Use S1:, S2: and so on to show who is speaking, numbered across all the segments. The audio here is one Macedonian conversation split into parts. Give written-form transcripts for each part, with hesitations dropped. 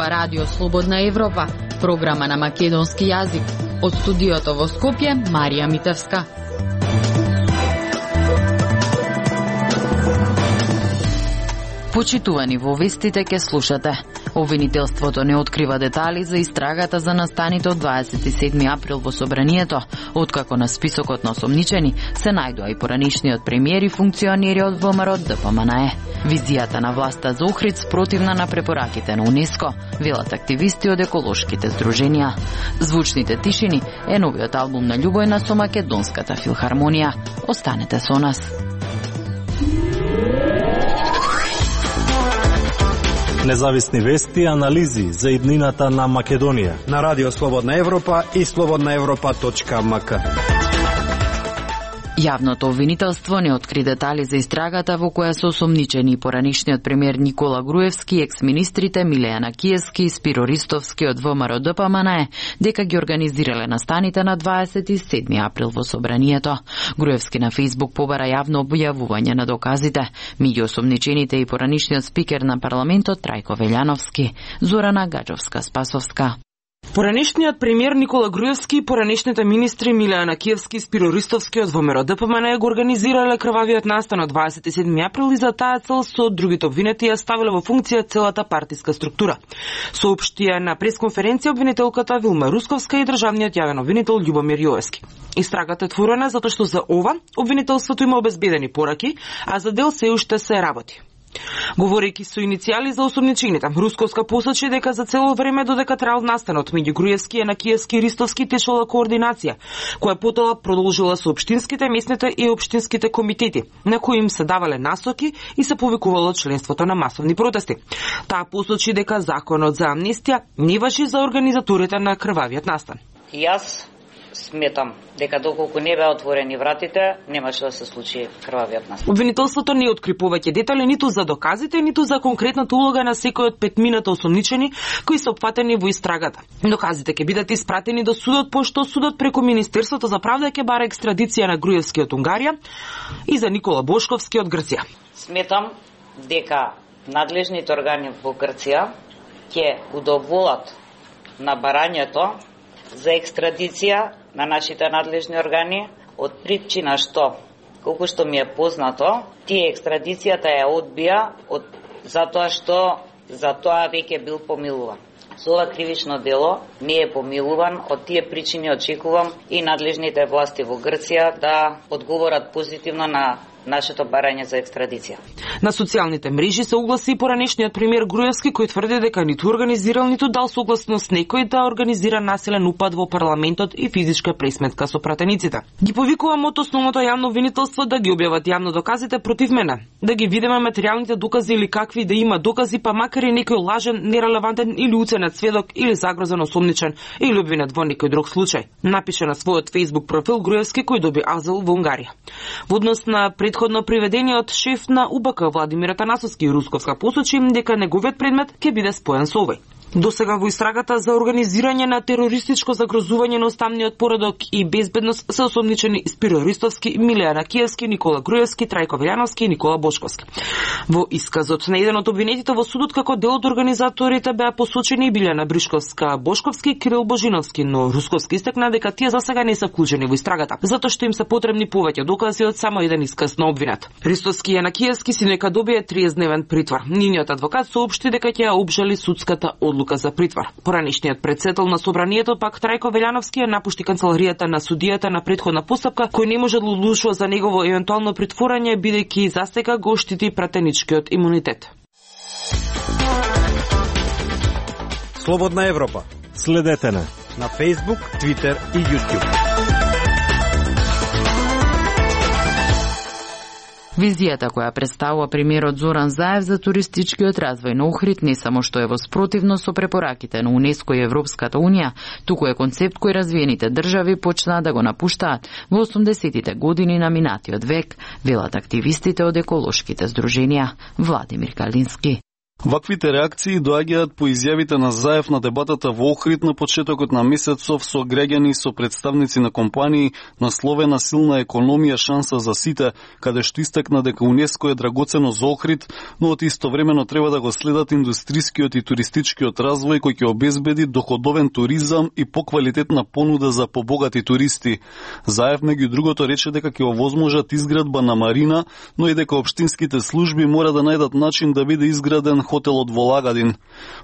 S1: ова Радио Слободна Европа, програма на македонски јазик. Од студиото во Скопје, Марија Митевска. Почитувани, во вестите ке слушате. Обвинителството не открива детали за истрагата за настаните од 27 април во собранието, откако на списокот на осомничени се најдоа и поранишниот премиер и функционери од ВМРО ДПМНЕ. Визијата на власта за Охрид спротивна на препораките на УНЕСКО, велат активисти од еколошките здруженија. Звучните тишини е новиот албум на Љубојна со Македонската филхармонија. Останете со нас.
S2: Независни вести и анализи за иднината на Македонија
S3: на Радио Слободна Европа и slobodnaevropa.mk.
S1: Јавното обвинителство не откри детали за истрагата во која се осомничени поранишниот премиер Никола Груевски, екс-министрите Милејана Киевски и Спиро Ристовски од ВМРО ДПМНЕ, дека ги организирале настаните на 27 април во собранието. Груевски на Фејсбук побара јавно објавување на доказите. Меѓу осомничените и поранишниот спикер на парламентот Трајко Велјановски. Зорана Гаджовска-Спасовска.
S4: Поранешниот премиер Никола Груевски и поранешните министри Милејана Киевски и Спиро Ристовски од ВМРО ДПМНЕ го организирале крвавиот настан од 27 април и за таа цел со другите обвинети ја ставиле во функција целата партиска структура. Соопштија на пресконференција обвинителката Вилма Русковска и државниот јавен обвинител Љубомир Јоевски. Истрагата е отворена затоа што за ова обвинителството има обезбедени пораки, а за дел се уште се работи. Говорејќи со иницијали за осомничените, Русковска посочи дека за цело време додека траел настанот меѓу Груевски, Јанакиевски и Ристовски течела координација, која потоа продолжила со општинските, местните и општинските комитети, на кои им се давале насоки и се повикувало членството на масовни протести. Таа посочи дека законот за амнестија не важи за организаторите на крвавиот настан.
S5: Јас сметам дека доколку не беа отворени вратите, немаше да се случи крвавиот настан.
S4: Обвинителството не откри повеќе детали ниту за доказите, ниту за конкретната улога на секој од петмината осомничени кои се опфатени во истрагата. Доказите ќе бидат испратени до судот, пошто судот преку Министерството за правда ќе бара екстрадиција на Груевски од Унгарија и за Никола Бошковски од Грција.
S5: Сметам дека надлежните органи во Грција ќе удоволат на барањето за екстрадиција на нашите надлежни органи од причина што, колку што ми е познато, тие екстрадицијата ја одбија затоа што за тоа веќе бил помилуван. Со ова кривично дело не е помилуван, од тие причини очекувам и надлежните власти во Грција да одговорат позитивно на нашето барање за екстрадиција.
S4: На социјалните мрежи се огласи и поранешниот премиер Груевски, кој тврди дека ниту организирал, ниту дал согласност некој да организира насилен упад во парламентот и физичка пресметка со пратениците. Ги повикувам од основното јавно обвинителство да ги објават јавно доказите против мене, да ги видиме материјалните докази или какви да има докази, па макар и некој лажен, нерелевантен или уценет сведок или загрозен осомничен или обвинет во некој друг случај, напише на својот Facebook профил Груевски, кој доби азил во Унгарија. Во однос на предходно приведениот шеф на УБК Владимир Атанасовски и Русковска посочи дека неговиот предмет ќе биде споен со овој. Досега во истрагата за организирање на терористичко загрозување на уставниот поредок и безбедност се осомничени Спиро Ристовски, Милејана Киевски, Никола Груевски, Трајко Велјановски и Никола Бошковски. Во исказот на еден од обвинетите во судот како дел од организаторите беа посочени Билјана Бришковска, Бошковски и Кирил Божиновски, но Русковски истакна дека тие засега не се вклучени во истрагата, затоа што им се потребни повеќе докази од само еден исказ на обвинет. Ристовски и Јанакиевски си нека добие 30-дневен притвор. Нивниот адвокат соопшти дека ќе ја обжали судската одлука за притвор. Поранешниот претседател на собранието пак Трајко Велјановски ја напушти канцеларијата на судијата на претходна постапка, кој не може да одлучува за негово евентуално притворање бидејќи застека го штити пратеничкиот имунитет.
S3: Слободна Европа.
S2: Следете на
S3: Facebook, Twitter и YouTube.
S1: Визијата која представува премиерот Зоран Заев за туристичкиот развој на Охрид не само што е во спротивност со препораките на УНЕСКО и Европската Унија, туку е концепт кој развиените држави почнаа да го напуштаат во 80-тите години на минатиот век, велат активистите од еколошките здруженија. Владимир Калински.
S6: Ваквите реакции доаѓаат по изјавите на Заев на дебатата во Охрид на почетокот на месецов со граѓани и со представници на компании насловена силна економија шанса за сите, каде што истакна дека УНЕСКО е драгоцено за Охрид, но од истовремено треба да го следат индустрискиот и туристичкиот развој кој ќе обезбеди доходовен туризам и поквалитетна понуда за побогати туристи. Заев меѓу другото рече дека ќе овозможат изградба на марина, но и дека општинските служби мора да најдат начин да биде изграден хотелот во Лагадин.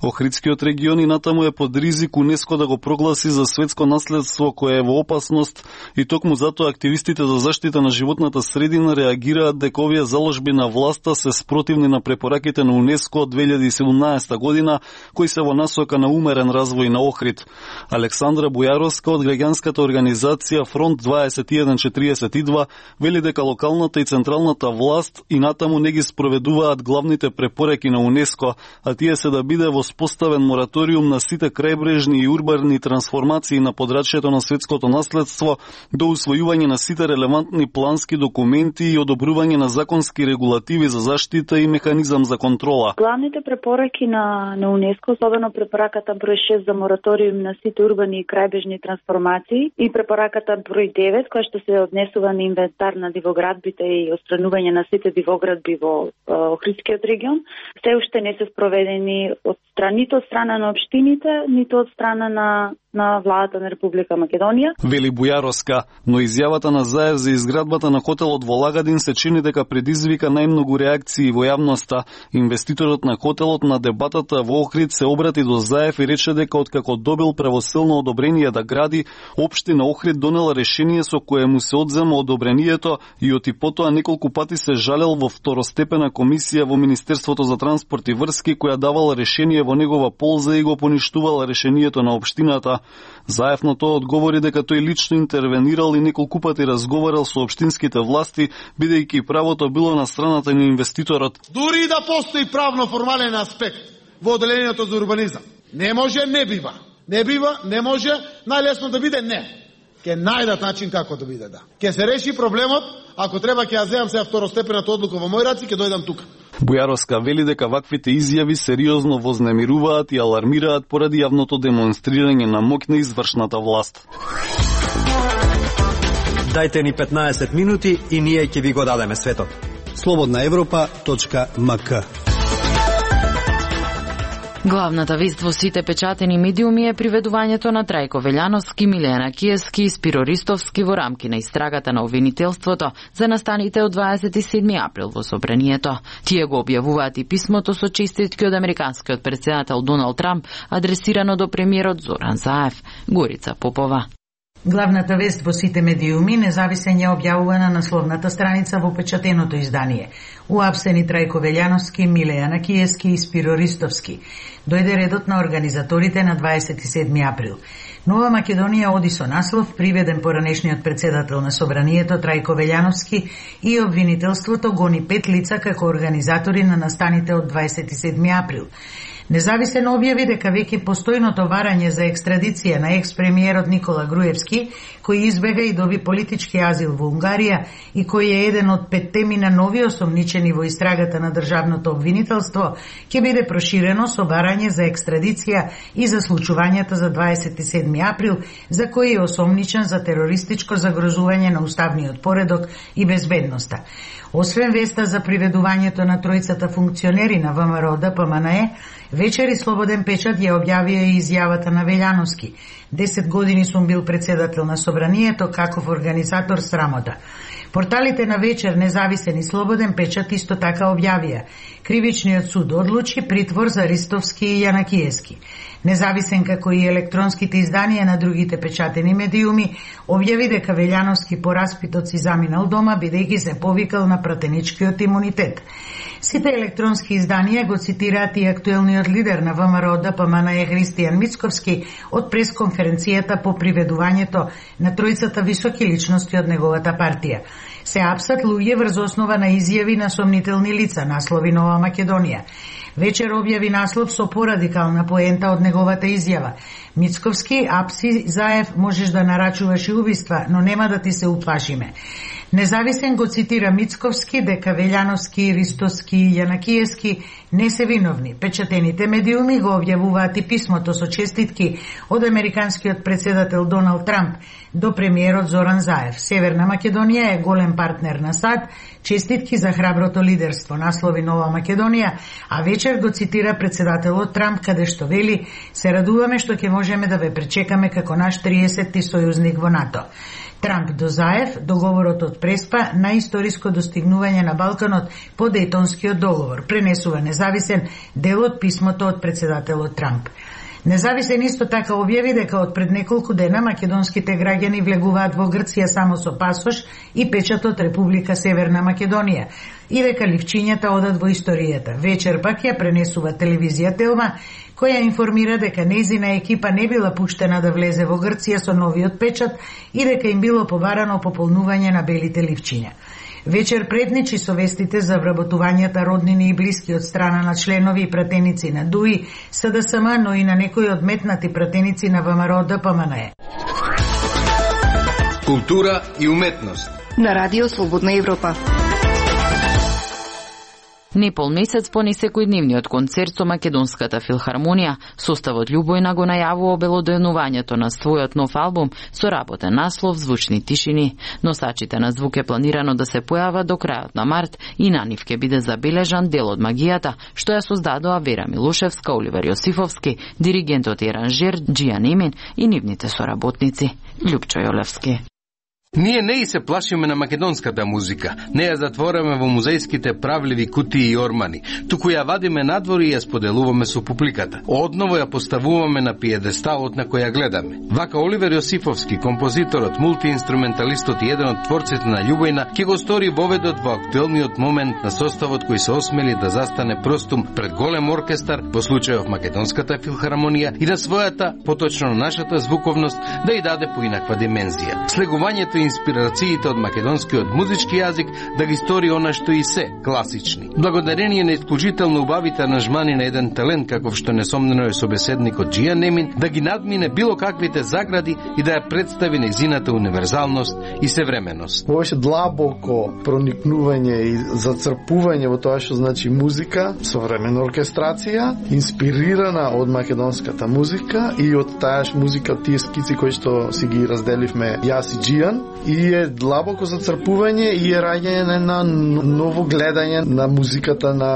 S6: Охридскиот регион и натаму е под ризик УНЕСКО да го прогласи за светско наследство кое е во опасност и токму затоа активистите за заштита на животната средина реагираат дека овие заложби на власта се спротивни на препораките на УНЕСКО од 2017 година, кои се во насока на умерен развој на Охрид. Александра Бујаровска од граѓанската организација Фронт 2142 вели дека локалната и централната власт и натаму не ги спроведуваат главните препораки на УНЕСКО, а тие се да биде воспоставен мораториум на сите крајбрежни и урбани трансформации на подрачјето на светското наследство до усвојување на сите релевантни плански документи и одобрување на законски регулативи за заштита и механизам за контрола.
S7: Главните препораки на УНЕСКО, особено препораката број 6 за мораториум на сите урбани и крајбрежни трансформации и препораката број 9 која што се однесува на инвентар на дивоградбите и отстранување на сите дивоградби во Охридскиот регион, се уште не се спроведени нито од страна на општините, нито од страна на владата на Република Македонија.
S6: Вели Бујаровска, но изјавата на Заев за изградбата на хотелот во Лагадин се чини дека предизвика најмногу реакции во јавноста. Инвеститорот на хотелот на дебатата во Охрид се обрати до Заев и рече дека откако добил правосилно одобрение да гради, општина Охрид донела решение со кое му се одзема одобрението и оти потоа неколку пати се жалел во второстепена комисија во Министерството за транспорт и врски која давала решение во негова полза и го поништувала решението на општината. Заев на тоа одговори дека тој лично интервенирал и неколку пати разговарал со општинските власти, бидејќи правото било на страната на инвеститорот.
S8: Дури да постои правно формален аспект во одделението за урбанизам, не може, не бива. Не бива, не може, најлесно да биде не. Ке најдат начин како да биде да. Ке се реши проблемот, ако треба ќе ја земам сега второстепената одлука во мој раци, ќе дојдам тука.
S6: Бујаровска вели дека ваквите изјави сериозно вознемируваат и алармираат поради јавното демонстрирање на моќ на извршната власт.
S3: Дајте ни 15 минути и ние ќе ви го дадеме светот. slobodnaevropa.mk.
S1: Главната вест во сите печатени медиуми е приведувањето на Трајко Велјановски, Милена Киевски и Спиро Ристовски во рамки на истрагата на обвинителството за настаните од 27 април во собранието. Тие го објавуваат и писмото со честитки од американскиот претседател Доналд Трамп, адресирано до премиерот Зоран Заев. Горица Попова.
S9: Главната вест во сите медиуми независен ја објавува на насловната страница во печатеното издание. Уапсени Трајко Велјановски, Милејана Киевски и Спиро Ристовски. Дојде редот на организаторите на 27 април. Нова Македонија оди со наслов приведен поранешниот претседател на собранието Трајко Велјановски и обвинителството гони 5 лица како организатори на настаните од 27 април. Независен објави дека веќе постојното варање за екстрадиција на екс-премиерот Никола Груевски, кој избега и доби политички азил во Унгарија и кој е еден од 5 на нови осомничени во истрагата на државното обвинителство, ќе биде проширено со барање за екстрадиција и за случувањата за 27 април, за кој е осомничен за терористичко загрозување на уставниот поредок и безбедноста. Освен веста за приведувањето на тројцата функционери на ВМРО ДПМНЕ, вечери Слободен печат ја објавија и изјавата на Велјановски. 10 години сум бил председател на собранието, каков организатор срамота. Порталите на вечер Независен и Слободен печат исто така објавија. Кривичниот суд одлучи притвор за Ристовски и Јанакиевски. Независен како и електронските изданија на другите печатени медиуми објави дека Велјановски по распитот си заминал дома бидејќи се повикал на пратеничкиот имунитет. Сите електронски изданија го цитираат и актуелниот лидер на ВМРО ДПМНЕ Христијан Мицковски од пресконференцијата по приведувањето на тројцата високи личности од неговата партија. Се апсат луѓе врз основа на изјави на сомнителни лица, наслови Нова Македонија. Вечер објави наслов со порадикална поента од неговата изјава. Мицковски, апси, Заев, можеш да нарачуваш и убиства, но нема да ти се уплашиме. Независен го цитира Мицковски дека Велјановски, Ристовски и Јанакиевски не се виновни. Печатените медиуми го објавуваат и писмото со честитки од американскиот председател Доналд Трамп до премиерот Зоран Заев. Северна Македонија е голем партнер на САД, честитки за храброто лидерство, наслови Нова Македонија, а вечер го цитира председателот Трамп каде што вели: се радуваме што ќе можеме да ве пречекаме како наш 30-ти сојузник во НАТО. Трамп до Заев, договорот од Преспа на историско достигнување на Балканот по Дејтонскиот договор, пренесува Независен дел од писмото од председателот Трамп. Независен исто така објави дека од пред неколку дена македонските граѓани влегуваат во Грција само со пасош и печат од Република Северна Македонија и дека ливчињата одат во историјата. Вечер пак ја пренесува телевизија Телма, која информира дека нејзина екипа не била пуштена да влезе во Грција со новиот печат и дека им било побарано пополнување на белите ливчиња. Вечер предничи со вестите за вработувањата роднини и блиски од страна на членови и пратеници на ДУИ, СДСМ, но и на некои одметнати пратеници на ВМРО ДПМНЕ.
S10: Култура и уметност
S11: на Радио Слободна Европа.
S1: Непол месец по несекојдневниот концерт со Македонската филхармонија, составот Љубојна го најавува обелоденувањето на својот нов албум со работен наслов Звучни тишини. Носачите на звук е планирано да се појават до крајот на март и на нив ќе биде забележан дел од магијата што ја создадоа Вера Милушевска, Оливер Јосифовски, диригентот и аранжер Џијан Емин и нивните соработници. Љупчо Јолевски.
S10: Ние не и се плашиме на македонската музика, не ја затвораме во музејските правливи кутии и ормани, туку ја вадиме надвор и ја споделуваме со публиката. Одново ја поставуваме на пиедесталот на која гледаме. Вака Оливер Јосифовски, композиторот, мултиинструменталистот и еден од творците на Љубојна, ќе го стори воведот во актуелниот момент на составот кој се осмели да застане простум пред голем оркестар, во случајов Македонската филхармонија, и на својата, поточно на нашата звуковност, да ја даде поинаква димензија. Слегувањето и инспирациите од македонскиот музички јазик да ги стори она што и се класични. Благодарение на исклучително убавите аранжмани на еден талент каков што несомнено е собеседникот Џијан Емин, да ги надмине било каквите загради и да ја представи нејзината универзалност и современост.
S12: Беше длабоко проникнување и зацрпување во тоа што значи музика, современа оркестрација, инспирирана од македонската музика и од таа музика, тие скици кои што си ги разделивме јас и Џијан, и е длабоко зацрпување и е раѓање на ново гледање на музиката на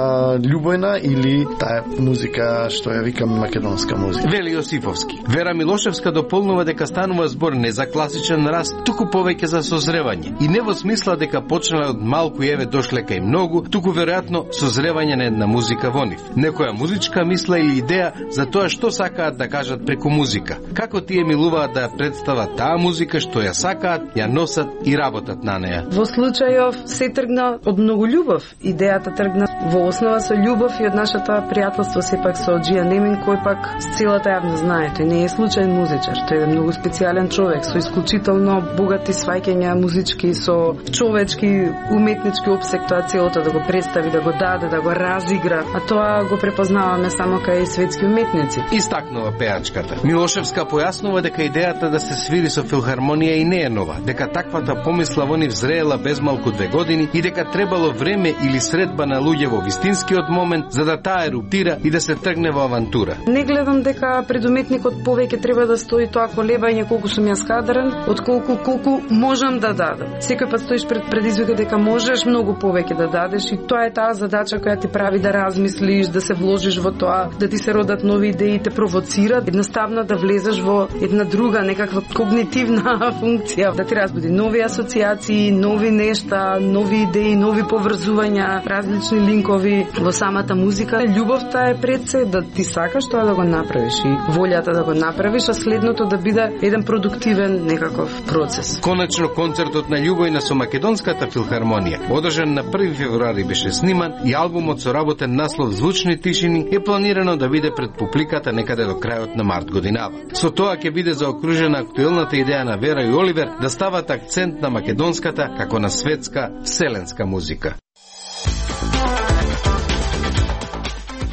S12: Љубојна или таа музика што ја викаме македонска музика.
S10: Вели Јосифовски. Вера Милошевска дополнува дека станува збор не за класичен раст, туку повеќе за созревање. И не во смисла дека почнале од малку и еве дошле кај многу, туку веројатно созревање на една музика во нив. Некоја музичка мисла или идеја за тоа што сакаат да кажат преку музика. Како тие милуваат да ја представат таа музика што ја сакаат, ја носат и работат на неја.
S13: Во случајов се тргна од многу љубов. Идејата тргна во основа со љубов и од нашата пријателство сепак со Џијан Емин, кој пак с целата јавност знае, тој не е случаен музичар, тој е многу специјален човек со исклучително богати сваќања музички, со човечки, уметнички опсек, тоа целото да го представи, да го даде, да го разигра, а тоа го препознаваме само кај светски уметници.
S10: Истакнува пеачката. Милошевска појаснува дека идејата да се свири со филхармонија и не е нова, дека таквата помисла во нив зреела безмалку 2 години и дека требало време или средба на луѓе во вистинскиот момент за да таа еруптира и да се тргне во авантура.
S13: Не гледам дека пред уметникот повеќе треба да стои тоа колебање колку сум јас кадрен, отколку колку можам да дадам. Секој пат стоиш пред предизвика дека можеш многу повеќе да дадеш и тоа е таа задача која ти прави да размислиш, да се вложиш во тоа, да ти се родат нови идеи, те провоцират, едноставно да влезеш во една друга некаква когнитивна функција, да ти разбуди нови асоциации, нови нешта, нови идеи, нови поврзувања, различни линкови во самата музика. Љубовта е пред се да ти сакаш тоа да го направиш и волјата да го направиш, а следното да биде еден продуктивен некаков процес.
S10: Конечно концертот на Љубојна со Македонската филхармонија, одржан на 1 февруари, беше сниман и албумот со работен наслов Звучни тишини е планирано да биде пред публиката некаде до крајот на март годинава. Со тоа ќе биде заокружена актуелната идеја на Вера и Оливер да стават акцент на македонската како на светска вселенска музика.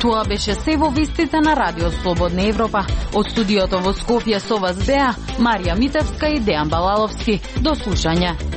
S1: Тоа беше се во вестите на Радио Слободна Европа. Од студиото во Скопје со вас беа Марија Митевска и Дејан Балаловски. До слушање.